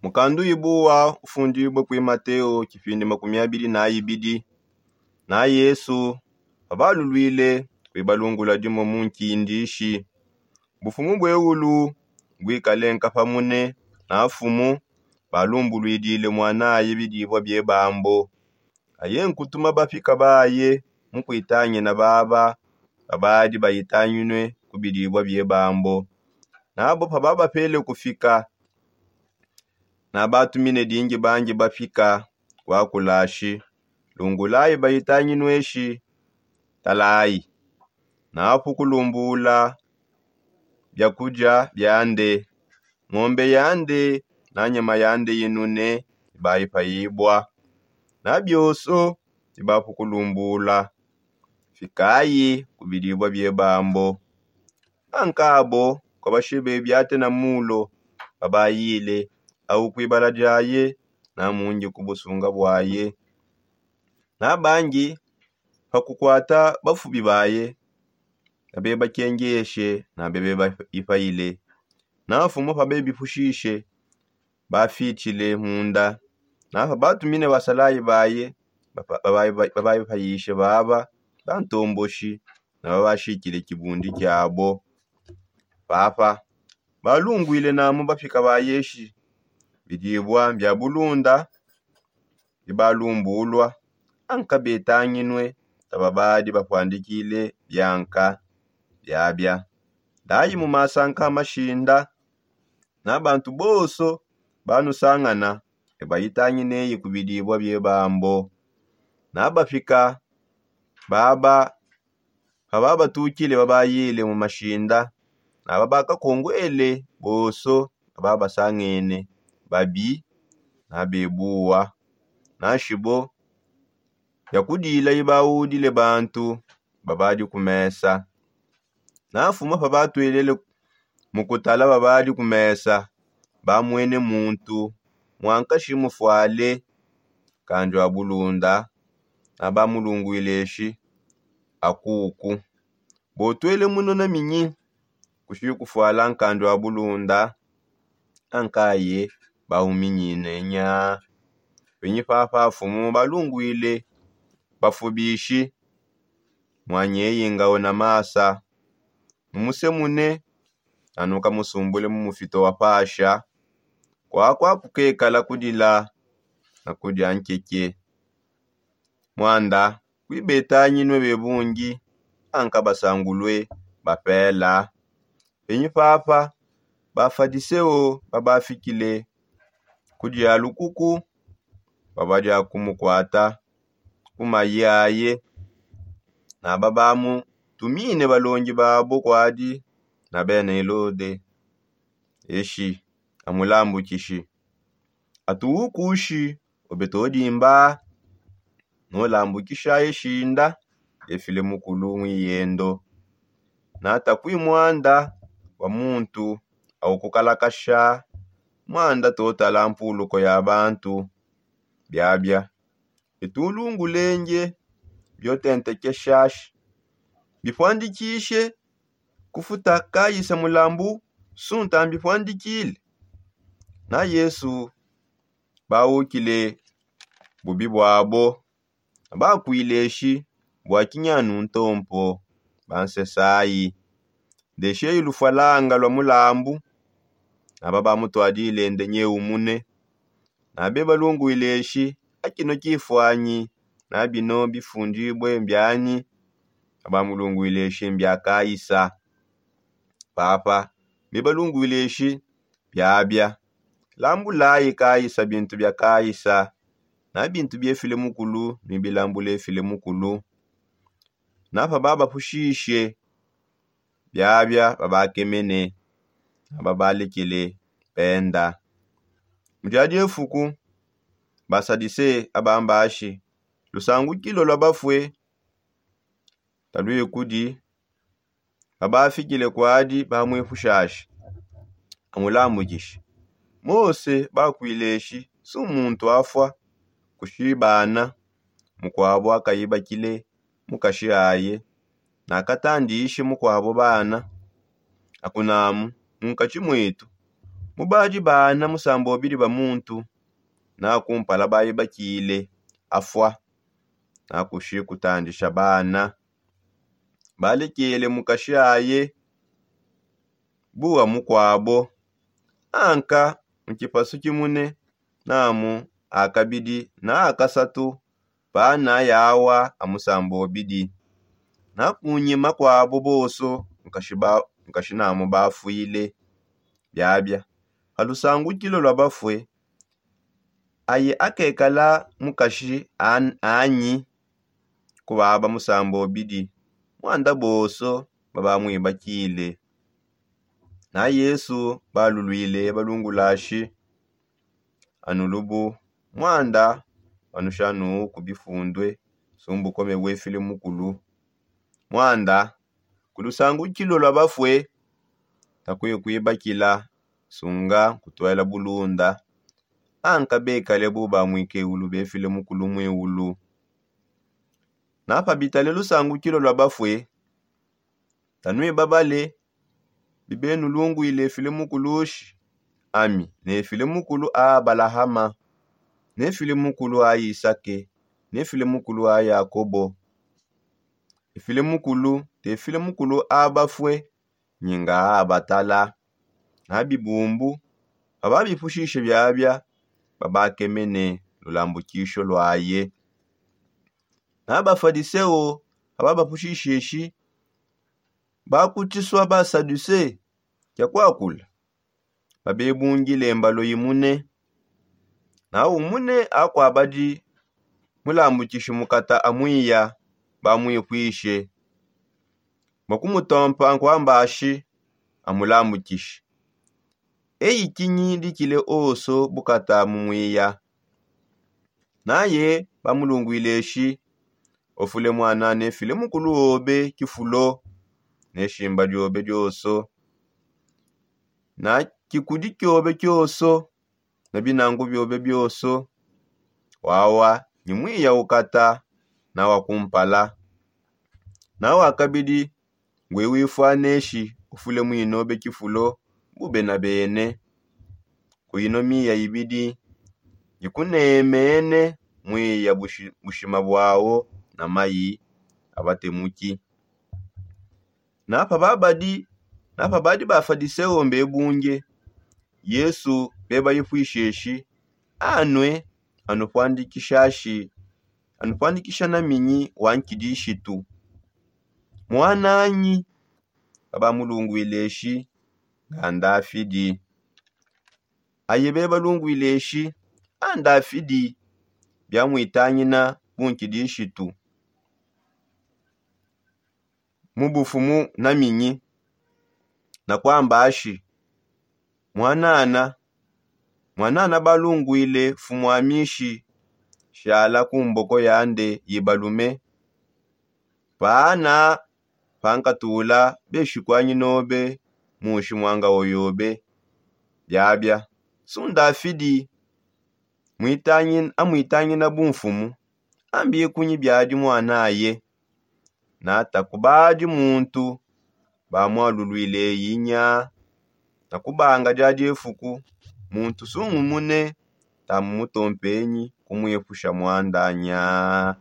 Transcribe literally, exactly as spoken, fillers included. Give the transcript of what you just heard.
Mukandu ibuwa ufundibue kui mateo kipindi makumi abidi na ibidi. Na yesu pabalulwile kuibalungula dimo mu nkindishi, bufumu bweulu bwikale nkapamune. Na fumu balumbulwidile mwanaye bidibua bie bambo. Aye nkutuma bapika baye mukuitangina baba babadi baitangine ku bidibua bie bambo. Nabo pababapele kufika nabatumine dingi bangi bapika. Kuakulashi lungulayi baitanginueshi talayi. Napu kulumbula biakudia biande ngombe yande na nyama yande yinune. Ibaipayibua na bioso ibapu kulumbula. Fikayi ku bidibua bie bambo. Ankabo kuabashibe biate na mulo babayile au kuibala diaye na mungi ku busunga buaye. Na bangi pakukuata bafubi baye nabebakengeshe nabebebaipayile. Na fumu pabebipushishe bafitshile munda. Na pabatumine basalayi baye babaipayishe baba bantomboshi na babashikile kibundi kiabo. Papa balungwile namu bapika bayeshi bidibua bia bulunda bibalumbulua. Anka betanginue tababadi bapuandikile bianka biabia. Ndayi mu masanka mashinda na bantu bonso banusangana ebayitangineyi ku bidibua bie bambo. Na bapika baba pababatukile babayile mu mashinda na babakakonguele bonso bababasangene babi na bebuwa. Na shibo biakudila ibawudile bantu babadi ku mesa. Na fuma pabatwelele mu kutala babadi ku mesa bamwene muntu muankashi mufuale kandu a bulunda. Na bamulungwile eshi akuku botwele munona minyi kushi kufuala nkandu a bulunda. Ankaye bahuminyine nya. Penyi papa fumu balungwile bafubishi mwanyeyi ngawe na masa mumusemune anu kamusumbule mu mufito wa pasha. Kwakwa kukekala kudila na kudia nkeke. Mwanda kuibetanyinue bebungi anka basangulue bapela. Penyi papa bafadiseo babafikile kudia lukuku babadia kumukuata ku mayi aye. Na babamutumine balongi babo kuadi na bena elode eshi amulambukishi atuwukushi ube todimba nolambukisha eshinda efile mukulu mwiyendo. Natakui mwanda wa muntu au kukalakasha mwanda totala mpuluko ya bantu. Biabia bitulungulenge biotentekeshashi bipuandikishe kufuta kayisa mulambu sunta mbipuandikile. Na yesu bawukile bubi buabo bakwile eshi bua kinyanu ntompo bansesayi ndesheyi lufwalanga lwa mulambu. Naba bamutwadile nde nyeumune. Nabe balungwile eshi akino kifuanyi na bino bifundibue mbianyi? Naba mulungwile eshi mbia kayisa. Papa mbe balungwile eshi biabia lambulayi kayisa bintu bia kayisa na bintu biefile mukulu mibilambula efile mukulu. Na pababapushishe biabia babakemene na babalekele benda. Mu dia diefuku basadise abambashi lusangukilo lwa bafue taluikudi babafikile kuadi bamwipushashi amulambukishi. Mose bakwile eshi su muntu afua kushibana mukuabo akayibakile mukashi aye nakatandishe mukuabo bana. Akunamu munkatshi muetu Mubadi bana musambobidi ba muntu, nakumpala baye bakile afua, nakushi kutandisha bana balekele mukashi aye. Buwa mukwabo anka mu kipasu kimune, namu akabidi na akasatu bana yawa amusambobidi. Nakunyima kwabo boso nkashi namu bafwile. Biabia ha lusangukilo lwa bafue, aye akekala mukashi anyi? Kubaba musambobidi mwanda boso babamwibakile. Na yesu balulwile balungulashi, anu lubu mwanda banushanu ku bifundue sumbukome bwefile mukulu. Mwanda ku lusangukilo lwa bafue takuye kwibakila sunga kutwela bulunda. Anka bekale bu bamwikeulu befile mukulu mwiulu. Napabitale lusangukilo lwa bafue tanwibabale bibenu lungwile efile mukulushi. Ami nefile mukulu a abalahama, nefile mukulu a isake, nefile mukulu a yakobo. Efile mukulu tefile mukulu a bafue nyinga a abatala. Na bibumbu ababipushishe biabia babakemene lulambukisho lwaye. Na bafadiseo ababapushisheshi bakutisua basaduse kia kwakula babebungile mbalo imune. Na umune akwabadi mulambukishi mukata amwiya bamwipwishe. Bakumutompa nkwambashi amulambukishi. Eyi kinyi dikile oso bukata mumwiya? Naye bamulungwileshi ofule mwana nefile mukulu obe kifulo, neshimba diobe dioso, na kikudi kiobe kioso, na binangu biobe bioso. Wawa ni mwiya ukata na wakumpala. Na wakabidi ngwe wifwaneshi ufule mwinobe kifulo bube na bene. Ku ino miya ibidi ngikunemene mwiya bushima bwao na mayi abatemuki. Napa babadi napa badi bafadiseo mbebunge yesu bebayipwisheshi anwe anupwandikishashi anupwandikisha na minyi wa nkidishitu. Mwananyi? Babamulungwileshi nga ndafidi. Aye bebalungwileshi a ndafidi biamwitangina bunkidishitu mu bufumu na minyi? Na kwamba ashi mwanana mwanana balungwile fumwamishi shala ku mboko yande yibalume. Paana pankatula beshikwanyi nobe mushi mwanga oyobe. Biabia sundafidi amwitangina bumfumu ambikunyi biadi mwanaye. Nata kubadi muntu bamwalulwile yinya na kubanga dia diefuku muntu sungumune tamu mutompenyi kumwepusha mwandanya.